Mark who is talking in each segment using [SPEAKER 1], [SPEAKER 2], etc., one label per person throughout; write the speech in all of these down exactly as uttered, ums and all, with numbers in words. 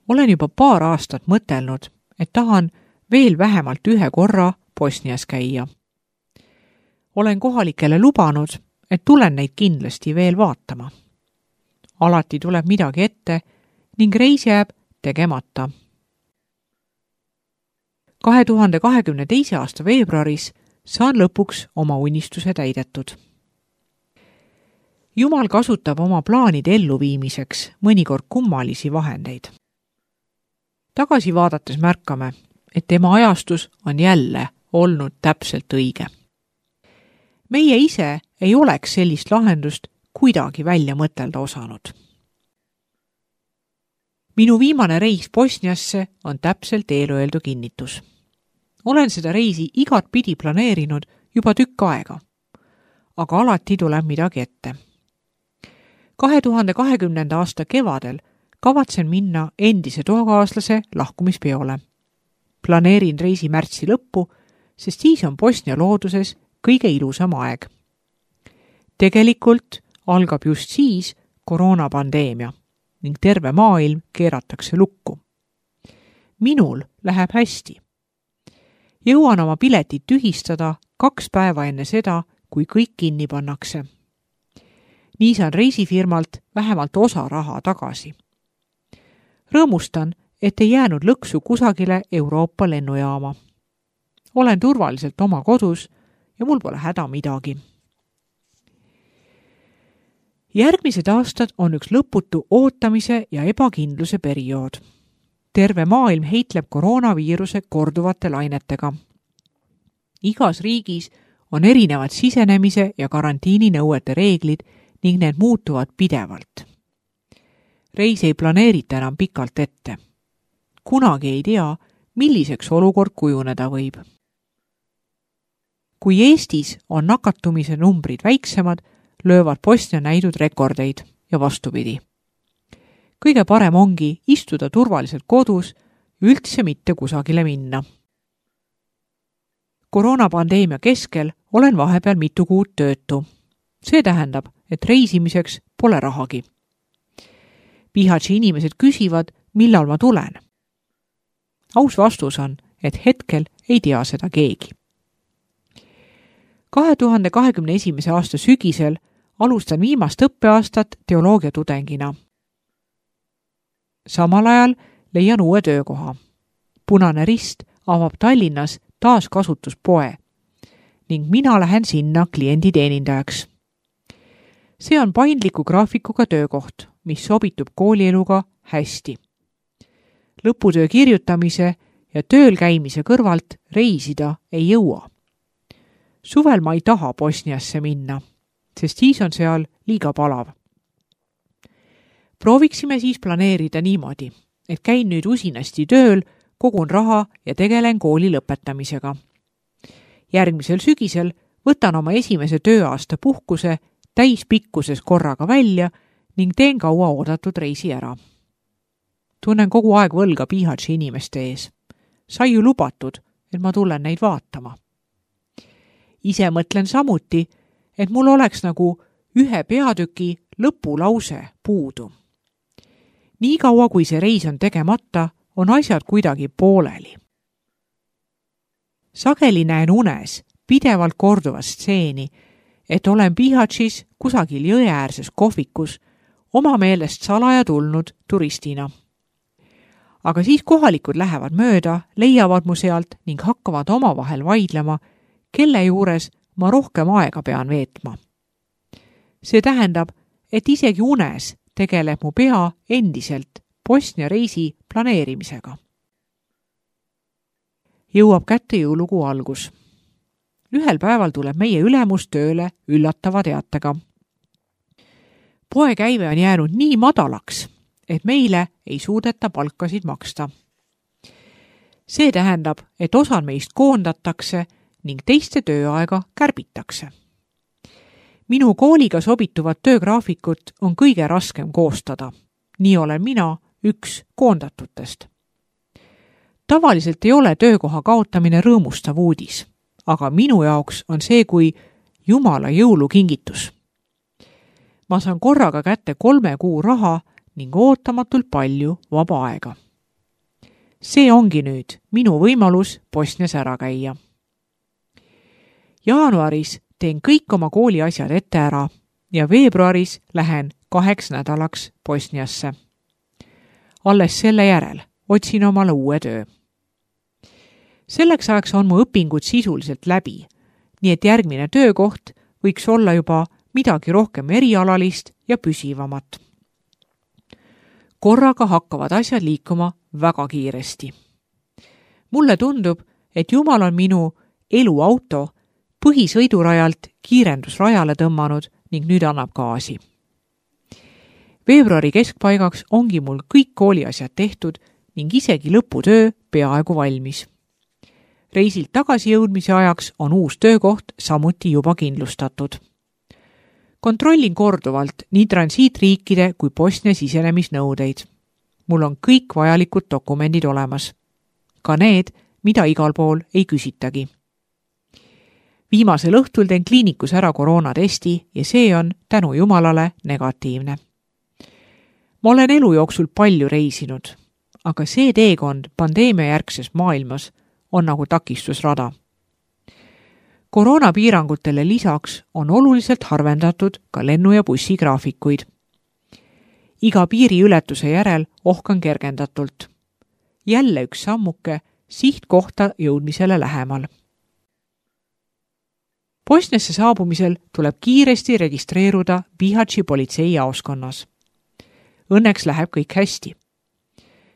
[SPEAKER 1] Olen juba paar aastat mõtelnud, et tahan veel vähemalt ühe korra Bosnias käia. Olen kohalikele lubanud, et tulen neid kindlasti veel vaatama. Alati tuleb midagi ette ning reis jääb tegemata. kahe tuhande kahekümne teise aasta veebruaris saan lõpuks oma unistuse täidetud. Jumal kasutab oma plaanide elluviimiseks mõnikord kummalisi vahendeid. Tagasi vaadates märkame, et tema ajastus on jälle olnud täpselt õige. Meie ise ei oleks sellist lahendust kuidagi välja mõtelda osanud. Minu viimane reis Bosniasse on täpselt eelöeldu kinnitus. Olen seda reisi igat pidi planeerinud juba tükk aega, aga alati tuleb midagi ette. kahe tuhande kahekümnenda aasta kevadel kavatsen minna endise toakaaslase lahkumispeole. Planeerin reisi märtsi lõppu, sest siis on Bosnia looduses kõige ilusam aeg. Tegelikult algab just siis koroonapandeemia ning terve maailm keeratakse lukku. Minul läheb hästi. Jõuan oma piletid tühistada kaks päeva enne seda, kui kõik kinni pannakse. Nii saan reisifirmalt vähemalt osa raha tagasi. Rõõmustan, et ei jäänud lõksu kusagile Euroopa lennujaama. Olen turvaliselt oma kodus ja mul pole häda midagi. Järgmised aastad on üks lõputu ootamise ja ebakindluse periood. Terve maailm heitleb koroonaviiruse korduvate lainetega. Igas riigis on erinevad sisenemise ja karantiininõuete reeglid ning need muutuvad pidevalt. Reis ei planeerita enam pikalt ette. Kunagi ei tea, milliseks olukord kujuneda võib. Kui Eestis on nakatumise numbrid väiksemad, löövad Bosnia näidud rekordeid ja vastupidi. Kõige parem ongi istuda turvaliselt kodus ja üldse mitte kusagile minna. Koroonapandeemia keskel olen vahepeal mitu kuud töötu. See tähendab, et reisimiseks pole rahagi. Bihaći inimesed küsivad, millal ma tulen. Aus vastus on, et hetkel ei tea seda keegi. kahe tuhande kahekümne esimese aasta sügisel alustan viimast õppeaastat teoloogiatudengina. Samal ajal leian uue töökoha. Punane Rist avab Tallinnas taaskasutuspoe ning mina lähen sinna klienditeenindajaks. See on paindliku graafikuga töökoht, mis sobitub koolieluga hästi. Lõputöö kirjutamise ja tööl käimise kõrvalt reisida ei jõua. Suvel ma ei taha Bosniasse minna, sest siis on seal liiga palav. Prooviksime siis planeerida niimoodi, et käin nüüd usinasti tööl, kogun raha ja tegelen kooli lõpetamisega. Järgmisel sügisel võtan oma esimese tööaasta puhkuse täispikkuses korraga välja ning teen kaua oodatud reisi ära. Tunnen kogu aeg võlga Bihaći inimeste ees. Sai ju lubatud, et ma tulen neid vaatama. Ise mõtlen samuti, et mul oleks nagu ühe peatüki lõpulause puudu. Nii kaua, kui see reis on tegemata, on asjad kuidagi pooleli. Sageli näen unes pidevalt korduva stseeni, et olen Bihaćis kusagil jõeäärses kohvikus oma meelest salaja tulnud turistina. Aga siis kohalikud lähevad mööda, leiavad mu sealt ning hakkavad omavahel vaidlema, kelle juures ma rohkem aega pean veetma. See tähendab, et isegi unes tegeleb mu pea endiselt Bosnia reisi planeerimisega. Jõuab kätte jõulukuu algus. Ühel päeval tuleb meie ülemus tööle üllatava teatega. Poekäive on jäänud nii madalaks, et meile ei suudeta palkasid maksta. See tähendab, et osad meist koondatakse ning teiste tööaega kärbitakse. Minu kooliga sobituvat töögraafikut on kõige raskem koostada. Nii olen mina üks koondatutest. Tavaliselt ei ole töökoha kaotamine rõõmustav uudis, aga minu jaoks on see kui Jumala jõulukingitus. Ma saan korraga kätte kolme kuu raha ning ootamatult palju vaba aega. See ongi nüüd minu võimalus Bosnias ära käia. Jaanuaris teen kõik oma kooli asjad ette ära ja veebruaris lähen kaheks nädalaks Bosniasse. Alles selle järel otsin omale uue töö. Selleks ajaks on mu õpingud sisuliselt läbi, nii et järgmine töökoht võiks olla juba midagi rohkem erialalist ja püsivamat. Korraga hakkavad asjad liikuma väga kiiresti. Mulle tundub, et Jumal on minu eluauto põhisõidurajalt kiirendusrajale tõmmanud ning nüüd annab gaasi. Veebruari keskpaigaks ongi mul kõik kooliasjad tehtud ning isegi lõputöö peaaegu valmis. Reisilt tagasi jõudmise ajaks on uus töökoht samuti juba kindlustatud. Kontrollin korduvalt nii transiitriikide kui Bosnia sisenemisnõudeid. Mul on kõik vajalikud dokumendid olemas. Ka need, mida igal pool ei küsitagi. Viimasel õhtul teen kliinikus ära koroonatesti ja see on tänu Jumalale negatiivne. Ma olen elu jooksul palju reisinud, aga see teekond pandeemia järgses maailmas on nagu takistusrada. Koroonapiirangutele lisaks on oluliselt harvendatud ka lennu- ja bussigraafikuid. Iga piiriületuse järel ohkan kergendatult. Jälle üks sammuke sihtkohta jõudmisele lähemal. Bosniasse saabumisel tuleb kiiresti registreeruda Bihaći politseijaoskonnas. Õnneks läheb kõik hästi.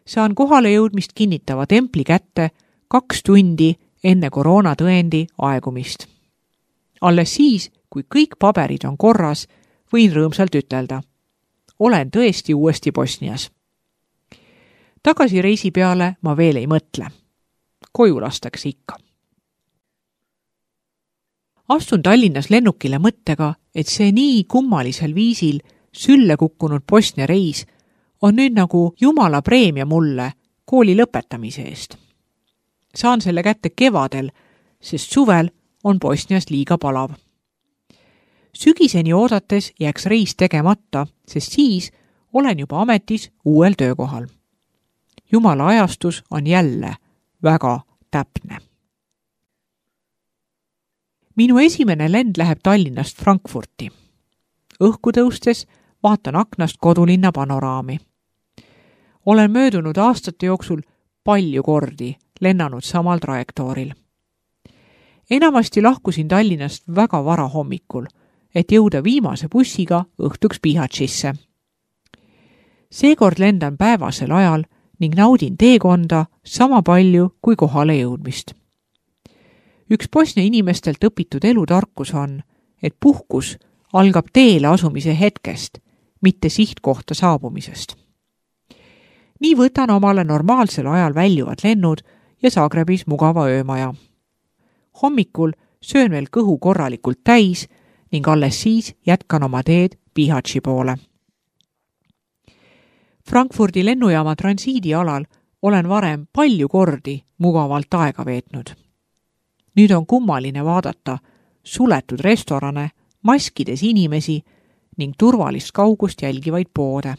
[SPEAKER 1] Saan kohale jõudmist kinnitava templi kätte kaks tundi enne koroonatõendi aegumist. Alles siis, kui kõik paberid on korras, võin rõõmsalt ütelda. Olen tõesti uuesti Bosnias. Tagasi reisi peale ma veel ei mõtle. Koju lastakse ikka. Astun Tallinnas lennukile mõttega, et see nii kummalisel viisil sülle kukkunud Bosnia reis on nüüd nagu Jumala preemia mulle kooli lõpetamise eest. Saan selle kätte kevadel, sest suvel on Bosnias liiga palav. Sügiseni oodates jääks reis tegemata, sest siis olen juba ametis uuel töökohal. Jumala ajastus on jälle väga täpne. Minu esimene lend läheb Tallinnast Frankfurti. Õhku tõustes vaatan aknast kodulinna panoraami. Olen möödunud aastate jooksul palju kordi lennanud samal trajektooril. Enamasti lahkusin Tallinnast väga vara hommikul, et jõuda viimase bussiga õhtuks Bihaćisse. Seekord lendan päevasel ajal ning naudin teekonda sama palju kui kohale jõudmist. Üks Bosnia inimestelt õpitud elutarkus on, et puhkus algab teele asumise hetkest, mitte sihtkohta saabumisest. Nii võtan omale normaalsel ajal väljuvad lennud ja Zagrebis mugava öömaja. Hommikul söön veel kõhu korralikult täis ning alles siis jätkan oma teed Bihaći poole. Frankfurdi lennujaama transiidialal olen varem palju kordi mugavalt aega veetnud. Nüüd on kummaline vaadata suletud restorane, maskides inimesi ning turvalist kaugust jälgivaid poode.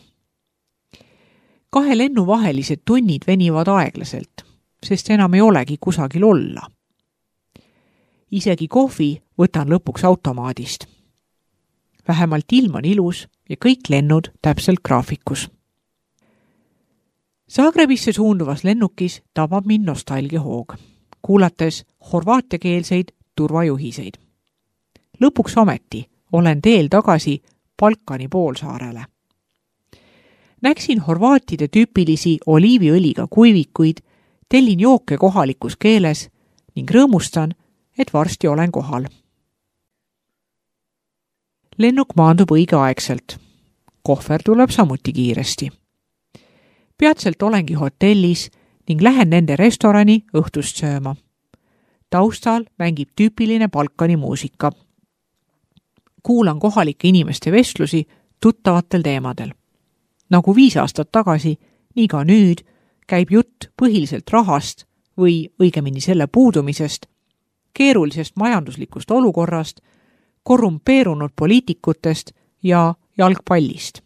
[SPEAKER 1] Kahe lennu vahelised tunnid venivad aeglaselt, sest enam ei olegi kusagil olla. Isegi kohvi võtan lõpuks automaadist. Vähemalt ilm on ilus ja kõik lennud täpselt graafikus. Zagrebisse suunduvas lennukis tabab mind nostalgiahoog, kuulates horvaatiakeelseid turvajuhiseid. Lõpuks ometi olen teel tagasi Balkani poolsaarele. Näksin horvaatide tüüpilisi oliiviõliga kuivikuid, tellin jooke kohalikus keeles ning rõõmustan, et varsti olen kohal. Lennuk maandub õigeaegselt. Kohver tuleb samuti kiiresti. Peatselt olengi hotellis ning lähen nende restorani õhtust sööma. Taustal mängib tüüpiline Balkani muusika. Kuulan kohalike inimeste vestlusi tuttavatel teemadel. Nagu viis aastat tagasi, nii ka nüüd käib jutt põhiliselt rahast või õigemini selle puudumisest, keerulisest majanduslikust olukorrast, korrumpeerunud poliitikutest ja jalgpallist.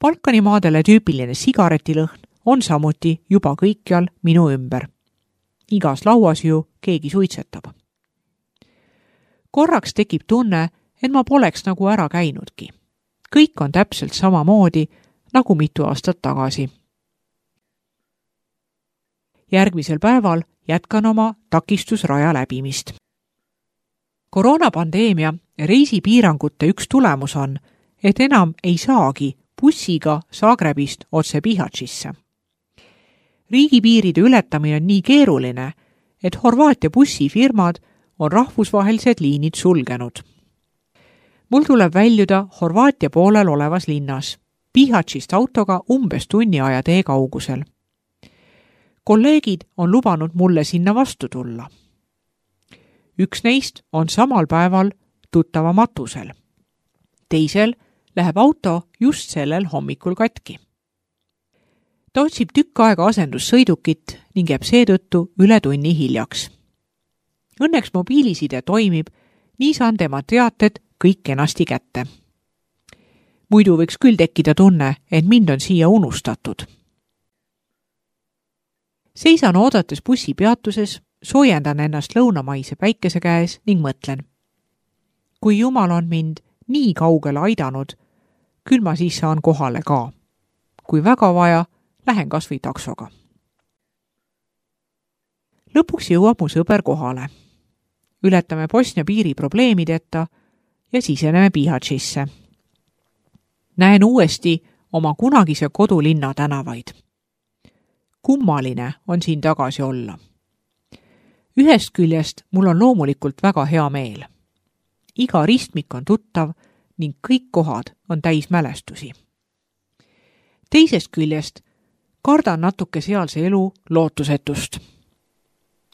[SPEAKER 1] Balkanimaadele tüüpiline sigaretilõhn on samuti juba kõikjal minu ümber. Igas lauas ju keegi suitsetab. Korraks tekib tunne, et ma poleks nagu ära käinudki. Kõik on täpselt samamoodi nagu mitu aastat tagasi. Järgmisel päeval jätkan oma takistusraja läbimist. Koroonapandeemia ja reisipiirangute üks tulemus on, et enam ei saagi bussiga Zagrebist otse Bihaćisse. Riigipiiride ületamine on nii keeruline, et Horvaatia bussifirmad on rahvusvahelised liinid sulgenud. Mul tuleb väljuda Horvaatia poolel olevas linnas, Bihaćist autoga umbes tunni aja tee kaugusel. Kolleegid on lubanud mulle sinna vastu tulla. Üks neist on samal päeval tuttava matusel. Teisel läheb auto just sellel hommikul katki. Ta otsib tükk aega asendussõidukit ning jääb seetõttu üle tunni hiljaks. Õnneks mobiiliside toimib, nii saan tema teated kõik kenasti kätte. Muidu võiks küll tekkida tunne, et mind on siia unustatud. Seisan oodates bussipeatuses, soojendan ennast lõunamaise päikese käes ning mõtlen. Kui Jumal on mind nii kaugele aidanud, küll ma siis saan kohale ka. Kui väga vaja, lähen kas või taksoga. Lõpuks jõuab mu sõber kohale. Ületame Bosnia piiri probleemideta ja siseneme Bihaćisse. Näen uuesti oma kunagise kodulinna tänavaid. Kummaline on siin tagasi olla. Ühest küljest mul on loomulikult väga hea meel. Iga ristmik on tuttav ning kõik kohad on täis mälestusi. Teisest küljest kardan natuke sealse elu lootusetust.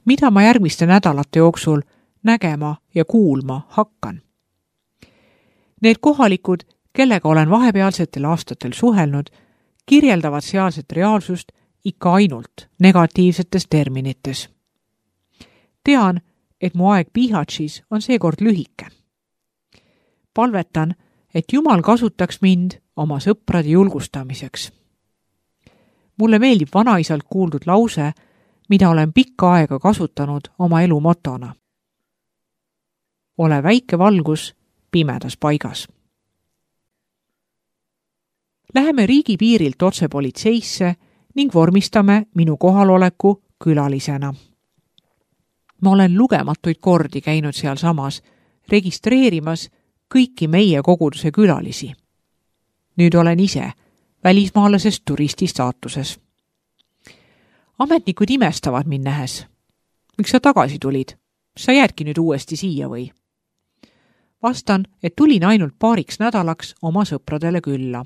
[SPEAKER 1] Mida ma järgmiste nädalate jooksul nägema ja kuulma hakkan? Need kohalikud, kellega olen vahepealsetel aastatel suhelnud, kirjeldavad sealset reaalsust ikka ainult negatiivsetes terminites. Tean, et mu aeg Bihaćis on seekord lühike. Palvetan, et Jumal kasutaks mind oma sõprade julgustamiseks. Mulle meeldib vanaisalt kuuldud lause, mida olen pikka aega kasutanud oma elu motona. Ole väike valgus pimedas paigas. Läheme riigipiirilt otse politseisse ning vormistame minu kohaloleku külalisena. Ma olen lugematuid kordi käinud seal samas, registreerimas kõiki meie koguduse külalisi. Nüüd olen ise välismaalasest turisti staatuses. Ametnikud imestavad mind nähes. Miks sa tagasi tulid? Sa jäädki nüüd uuesti siia või? Vastan, et tulin ainult paariks nädalaks oma sõpradele külla.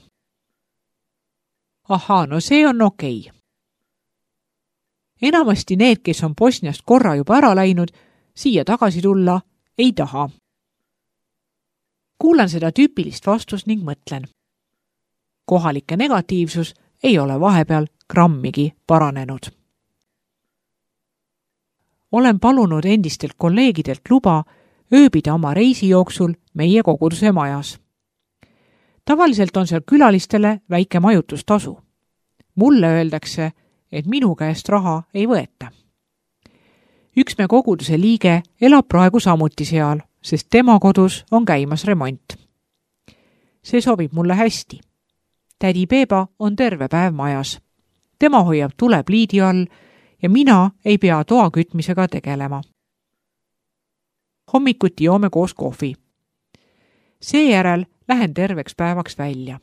[SPEAKER 1] Ahaa, no see on okei. Enamasti need, kes on Bosniast korra juba ära läinud, siia tagasi tulla ei taha. Kuulan seda tüüpilist vastust ning mõtlen. Kohalike negatiivsus ei ole vahepeal grammigi paranenud. Olen palunud endistelt kolleegidelt luba ööbida oma reisi jooksul meie koguduse majas. Tavaliselt on seal külalistele väike majutustasu. Mulle öeldakse, et minu käest raha ei võeta. Üks me koguduse liige elab praegu samuti seal, sest tema kodus on käimas remont. See sobib mulle hästi. Tädi Beba on terve päev majas. Tema hoiab tule pliidi all ja mina ei pea toa kütmisega tegelema. Hommikuti joome koos kohvi. Seejärel lähen terveks päevaks välja.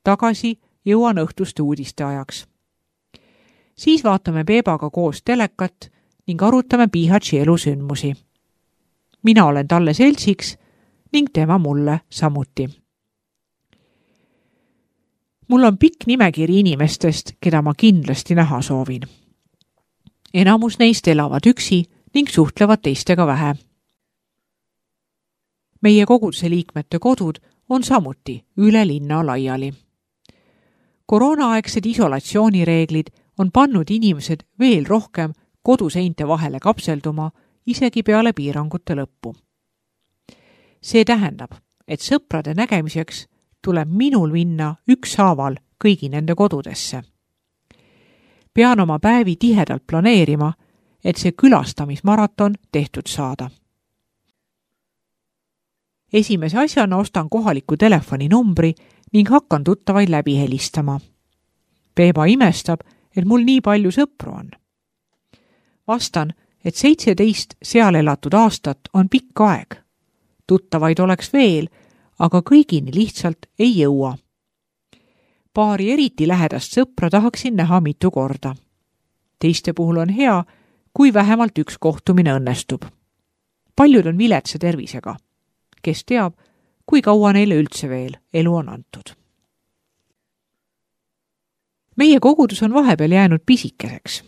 [SPEAKER 1] Tagasi jõuan õhtuste uudiste ajaks. Siis vaatame Bebaga koos telekat ning arutame Bihaći elusündmusi. Mina olen talle seltsiks ning tema mulle samuti. Mul on pikk nimekiri inimestest, keda ma kindlasti näha soovin. Enamus neist elavad üksi ning suhtlevad teistega vähe. Meie koguduse liikmete kodud on samuti üle linna laiali. Koroonaaegsed isolatsioonireeglid on pannud inimesed veel rohkem koduseinte vahele kapselduma isegi peale piirangute lõppu. See tähendab, et sõprade nägemiseks tuleb minul minna ükshaaval kõigi nende kodudesse. pean oma päevi tihedalt planeerima, et see külastamismaraton tehtud saada. Esimese asjana ostan kohaliku telefoninumbri ning hakkan tuttavaid läbi helistama. Peeba imestab, et mul nii palju sõpru on. Vastan, et seitseteist seal elatud aastat on pikk aeg. Tuttavaid oleks veel, aga kõigini lihtsalt ei jõua. Paari eriti lähedast sõpra tahaksin näha mitu korda. Teiste puhul on hea, kui vähemalt üks kohtumine õnnestub. Paljud on viletsa tervisega. Kes teab, kui kaua neile üldse veel elu on antud. Meie kogudus on vahepeal jäänud pisikeseks.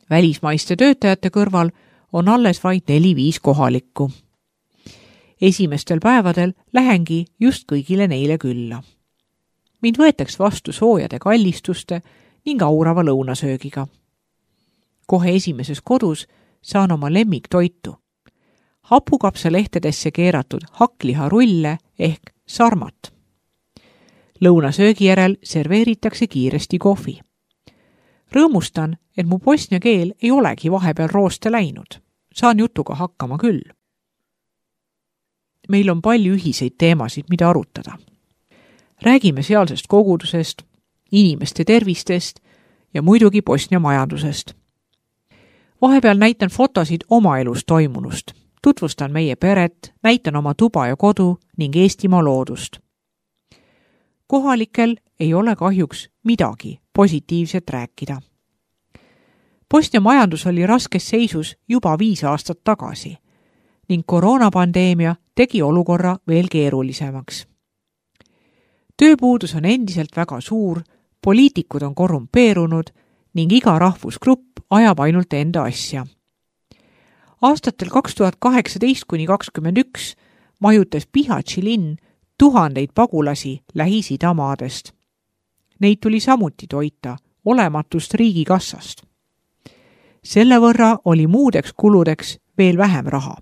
[SPEAKER 1] Välismaiste töötajate kõrval on alles vaid neli-viis kohalikku. Esimestel päevadel lähengi just kõigile neile külla. Mind võetaks vastu soojade kallistuste ning aurava lõunasöögiga. Kohe esimeses kodus saan oma lemmiktoitu. Hapukapsalehtedesse keeratud hakkliharulle ehk sarmat. Lõunasöögi järel serveeritakse kiiresti kohvi. Rõõmustan, et mu bosnia keel ei olegi vahepeal rooste läinud. Saan jutuga hakkama küll. Meil on palju ühiseid teemasid, mida arutada. Räägime sealsest kogudusest, inimeste tervistest ja muidugi Bosnia majandusest. Vahepeal näitan fotosid oma elus toimunust. Tutvustan meie peret, näitan oma tuba ja kodu ning Eestimaa loodust. Kohalikel ei ole kahjuks midagi positiivset rääkida. Bosnia majandus oli raskes seisus juba viis aastat tagasi ning koroonapandeemia tegi olukorra veel keerulisemaks. Tööpuudus on endiselt väga suur, poliitikud on korrumpeerunud ning iga rahvusgrupp ajab ainult enda asja. Aastatel kaks tuhat kaheksateist kuni kakskümmend üks majutas Bihaći linn tuhandeid pagulasi Lähis-Ida maadest. Neid tuli samuti toita olematust riigikassast. Selle võrra oli muudeks kuludeks veel vähem raha.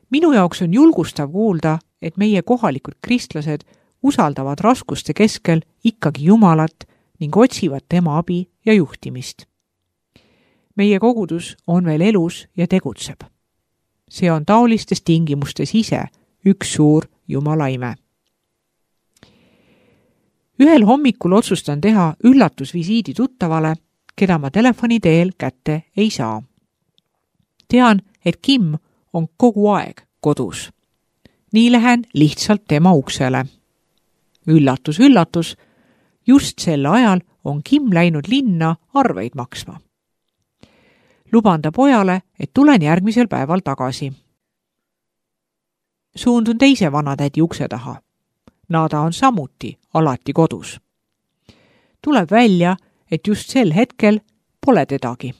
[SPEAKER 1] Minu jaoks on julgustav kuulda, et meie kohalikud kristlased usaldavad raskuste keskel ikkagi Jumalat ning otsivad tema abi ja juhtimist. Meie kogudus on veel elus ja tegutseb. See on taolistes tingimustes ise üks suur Jumala ime. Ühel hommikul otsustan teha üllatusvisiidi tuttavale, keda ma telefoni teel kätte ei saa. Tean, et Kim on kogu aeg kodus. Nii lähen lihtsalt tema uksele. Üllatus, üllatus, just sel ajal on Kim läinud linna arveid maksma. Luban ta pojale, et tulen järgmisel päeval tagasi. Suundun teise vanatädi ukse taha. Nada on samuti alati kodus. Tuleb välja, et just sel hetkel pole tedagi.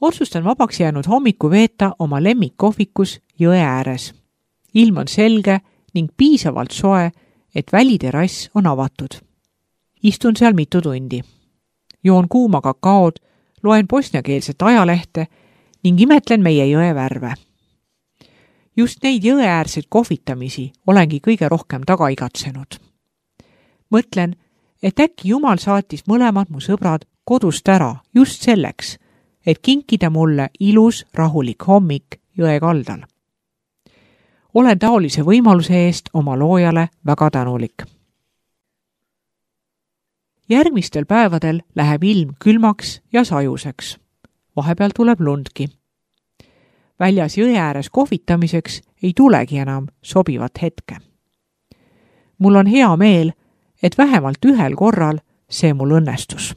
[SPEAKER 1] Otsustan vabaks jäänud hommiku veeta oma lemmikkohvikus jõe ääres. Ilm on selge ning piisavalt soe, et väliterrass on avatud. Istun seal mitu tundi. Joon kuuma kakaod, loen bosniakeelset ajalehte ning imetlen meie jõe värve. Just neid jõeäärseid kohvitamisi olengi kõige rohkem taga igatsenud. Mõtlen, et äkki Jumal saatis mõlemad mu sõbrad kodust ära just selleks, et kinkida mulle ilus rahulik hommik jõe kaldal. Olen taolise võimaluse eest oma loojale väga tänulik. Järgmistel päevadel läheb ilm külmaks ja sajuseks. Vahepeal tuleb lundki. Väljas jõe ääres kohvitamiseks ei tulegi enam sobivat hetke. Mul on hea meel, et vähemalt ühel korral see mul õnnestus.